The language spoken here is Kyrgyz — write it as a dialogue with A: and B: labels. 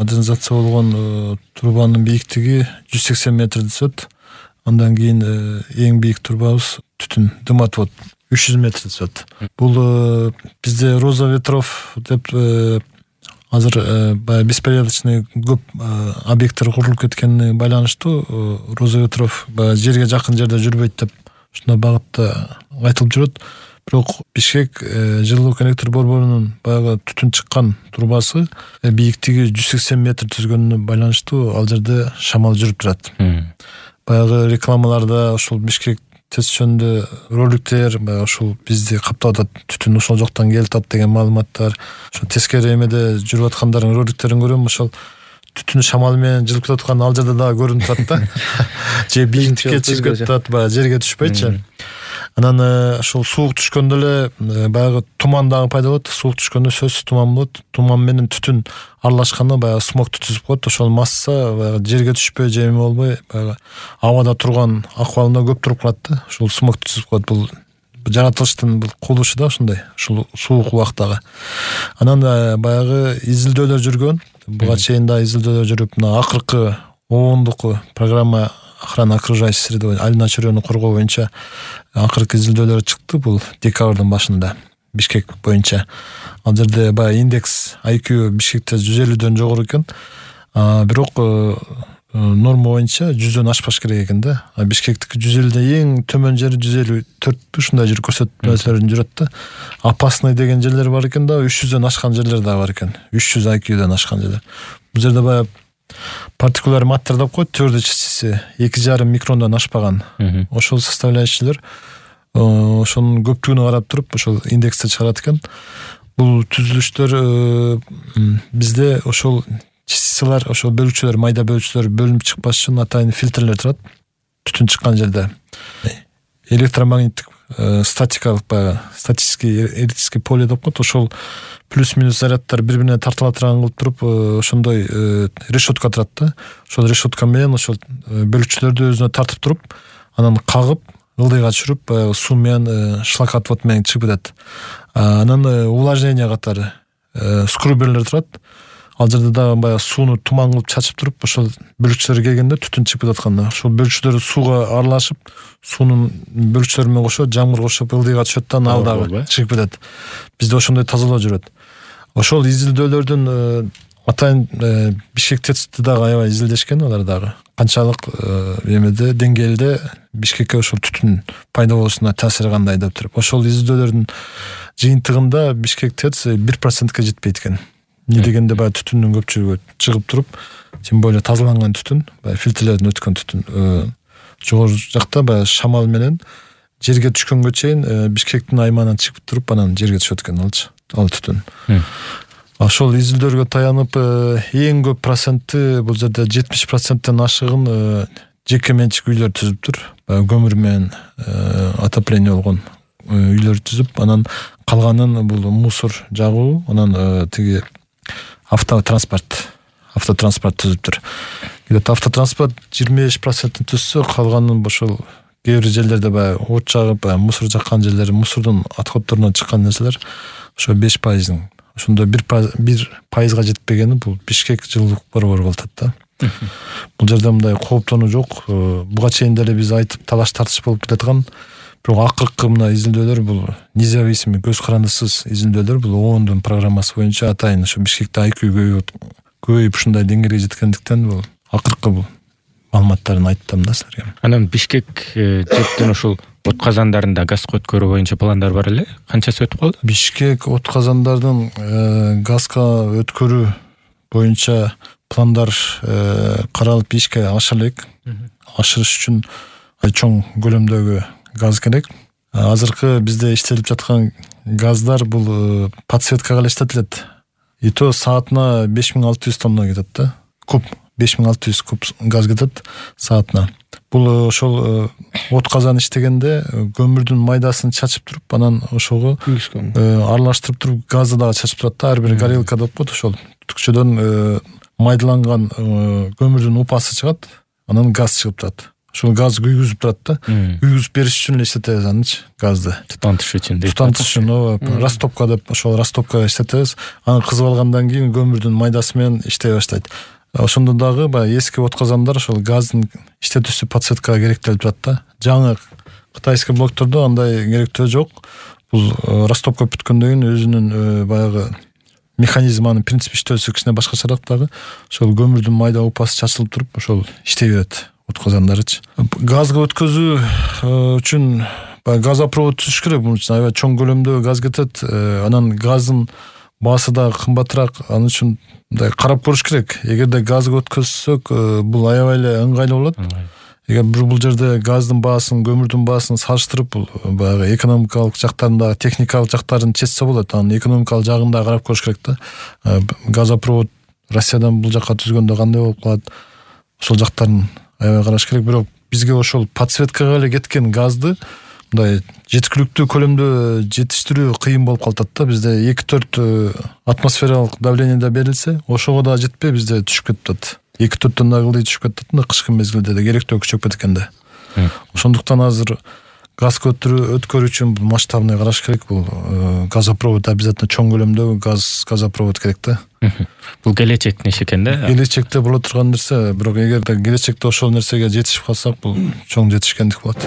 A: модернизация болгон трубанын бийиктиги 180 метрди түзөт. Андан кийин эң бийик трубабыз түтүн дыматвод 300 метрди түзөт. Бул бизде Роза ветров деп азыр баягы беспорядочный көп объекттер курулуп кеткенине байланыштуу Роза ветров баягы жерге жакын жерде жүрбөйт деп ушундай багытта айтылып жүрөт. Бирок Бишкек жылуулук электр борборунун баягы түтүн чыккан трубасы бийиктиги 180 метр түзгөнүнө байланыштуу ал жерде шамал жүрүп турат. Баягы рекламаларда ушул Бишкек ТЭЦ жөнүндө роликтер баягы ушул бизди каптап атат, түтүн ошол жактан келип атат деген маалыматтар, ошо тескери эмеде жүрүп аткандардын роликтерин көрөм, ошол түтүн шамалы менен жылып кетип аткан ал жерде дагы көрүнүп турат да. Же бийиктикке чыгып кетип атат, баягы жерге түшпөйчү. Анан ошол суук түшкөндө эле баягы туман дагы пайда болот. Суук түшкөндө сөзсүз туман болот. Туман менен түтүн аралашканда баягы смог түзүп коет. Ошол масса баягы жерге түшпөй же эме болбой баягы абада турган акыбалында көп туруп калат да. Ошол смог түзүп коет. Бул жаратылыштын бул кубулушу да ошондой. Ушул суук убактагы. Анан баягы изилдөөлөр жүргөн. Буга чейин да изилдөөлөр жүрүп, мына акыркы оондук программа охрана окружающей среды, айылына чөйрөнү коргоо боюнча акыркы изилдөөлөр чыкты. Бул декабрдын башында Бишкек боюнча. Ал жерде баягы индекс IQ Бишкекте 150дөн жогору экен. Бирок норма боюнча 100дөн ашпаш керек экен да. Бишкектики 150де эң төмөн жери 154 ушундай жер көрсөтмөлөрүн жүрөт да. Опасный деген жерлер бар экен да, 300дөн ашкан жерлер да бар экен. 300 IQ-дөн ашкан жерлер. Бул жерде баягы партикуляр маттер деп коет, твердый частицы 2,5 микрондан ашпаган. Ошол составляющийлер ошонун көптүгүнө карап туруп ошол индексти чыгарат экен. Бул түзүлүштөр бизде ошол частицалар, ошол бөлүкчөлөр, майда бөлүкчөлөр бөлүнүп чыкпаш үчүн атайын фильтрлер турат. Түтүн чыккан жерде электромагниттик статикалык баягы статический электрический поле деп коет. Ошол плюс-минус заряддар бири-бирине тартыла турган кылып туруп ошондой решетка турат да. Ошол решетка менен ошол бөлүкчөлөрдү өзүнө тартып туруп, анан кагып, ылдыйга түшүрүп, баягы суу менен шлакотвод менен чыгып кетет. Анан увлажнение катары скруберлер турат. Ал жерде дагы баягы сууну туман кылып чачып туруп, ошол бөлүкчөлөр келгенде түтүн чыгып атканда, ошол бөлүкчөлөр сууга аралашып, суунун бөлүкчөлөр менен кошо жамгыр кошуп ылдыйга түшөт да, ал дагы чыгып кетет. Бизде ошондой тазалоо жүрөт. Ошол изилдөөлөрдүн атайын Бишкек ТЭЦти дагы аябай изилдешкен, алар дагы канчалык эмеде деңгээлде Бишкекке ошол түтүн пайда болушуна таасири кандай деп туруп. Ошол изилдөөлөрдүн жыйынтыгында Бишкек ТЭЦ 1%га жетпейт экен. Не дегенде баягы түтүндүн көпчүлүгү чыгып туруп, тем более тазаланган түтүн, баягы фильтрлерден өткөн түтүн жогору жакта баягы шамал менен жерге түшкөнгө чейин Бишкектин аймагынан чыгып туруп, анан жерге түшөт экен ал түтүн. Ошол изилдөөлөргө таянып эң көп проценти бул жерде 70%тен ашыгын жеке менчик үйлөр түзүптүр. Көмүр менен отопление болгон үйлөр түзүп, анан калганын бул мусор жагуу, анан тиги автотранспорт түзүптүр. Где-то автотранспорт 25% түзсө, калганын ошол кээ бир жерлерде баягы от жагып, мусор жаккан жерлер, мусордун отходдорунан чыккан нерселер ошо 5%. Ошондо 1%га жетпегени бул Бишкек жылуулук борбору болуп атат да. Бул жерде мындай кооптонуу жок. Буга чейин деле биз айтып талаш тартыш болуп кетаткан. Бирок акыркы мына изилдөөлөр бул независимый, көз карандысыз изилдөөлөр, бул оондун программасы боюнча атайын ошо Бишкекте IQ көбөйүп ушундай деңгээлге жеткендиктен бул акыркы бул маалыматтарын айттым да силерге.
B: Анан Бишкек жектен ушул от казандарында газга өткөрүү боюнча пландар бар эле. Канчасы өтүп калды?
A: Бишкек от казандардын газга өткөрүү боюнча пландар каралып ишке ашыра элек. Ашырыш үчүн чоң көлөмдөгү газ керек. Азыркы бизде иштелип жаткан газдар бул подсветкага эле иштетилет. И то саатына 5600 тонна кетет да. Куб 5600 куб газ кетет саатына. Бул ошол от казан иштегенде көмүрдүн майдасын чачып туруп, анан ошого аралаштырып туруп газды дагы чачып турат да. Ар бир горелка деп коет, ошол түтүкчөдөн майдаланган көмүрдүн упасы чыгат, анан газ чыгып турат. ошол газ күйгүзүп турат да. Күйгүзүп бериш үчүн эле иштетебиз анычы, газды.
B: Тутантыш үчүн дейт.
A: Тутантыш үчүн, ооба. Растопка деп, ошол растопкага иштетебиз. Аны кызып алгандан кийин көмүрдүн майдасы менен иштей баштайт. Ошондо дагы баягы эски отказандар ошол газдын иштетүүсү подсветкага керектелип турат да. Жаңы кытайский блоктордо андай керектөө жок. Бул растопка бүткөндөн кийин өзүнүн баягы механизманын принцип иштөөсү кичине башкачараак дагы. Ошол көмүрдүн майда упасы чачылып туруп, ошол иштей берет отказандарычы. Газга өткөзүү үчүн газопровод түзүш керек. Бул үчүн аябай чоң көлөмдө газ кетет. Анан газдын баасы да кымбатыраак. Анын үчүн мындай карап көрүш керек. Эгерде газга өткөзсөк, бул аябай эле ыңгайлуу болот. Эгер бул жерде газдын баасын, көмүрдүн баасын салыштырып, бул баягы экономикалык жактарында, техникалык жактарын чечсе болот. Анын экономикалык жагын да карап көрүш керек да. Газопровод Россиядан бул жакка түзгөндө кандай болуп калат? Ошол жактарын аябай караш керек. Бирок бизге ошол подсветкага эле кеткен газды мындай жеткиликтүү көлөмдө жетиштирүү кыйын болуп калат да. Бизде 2-4 атмосфералык давлениеде берилсе, ошого да жетпей бизде түшүп кетип атат. 2-4 ылдый түшүп кетип атат. Кышкы мезгилде да керектөө күчөп кеткен да. Ошондуктан азыр газ өткөрүү үчүн масштабный караш керек. Бул газопровод обязательно чоң көлөмдөгү газопровод керек да.
B: Бул келечектин иши экен да.
A: Келечекте боло турган нерсе, бирок эгерде келечекте ошол нерсеге жетишип калсак, бул чоң жетишкендик болот.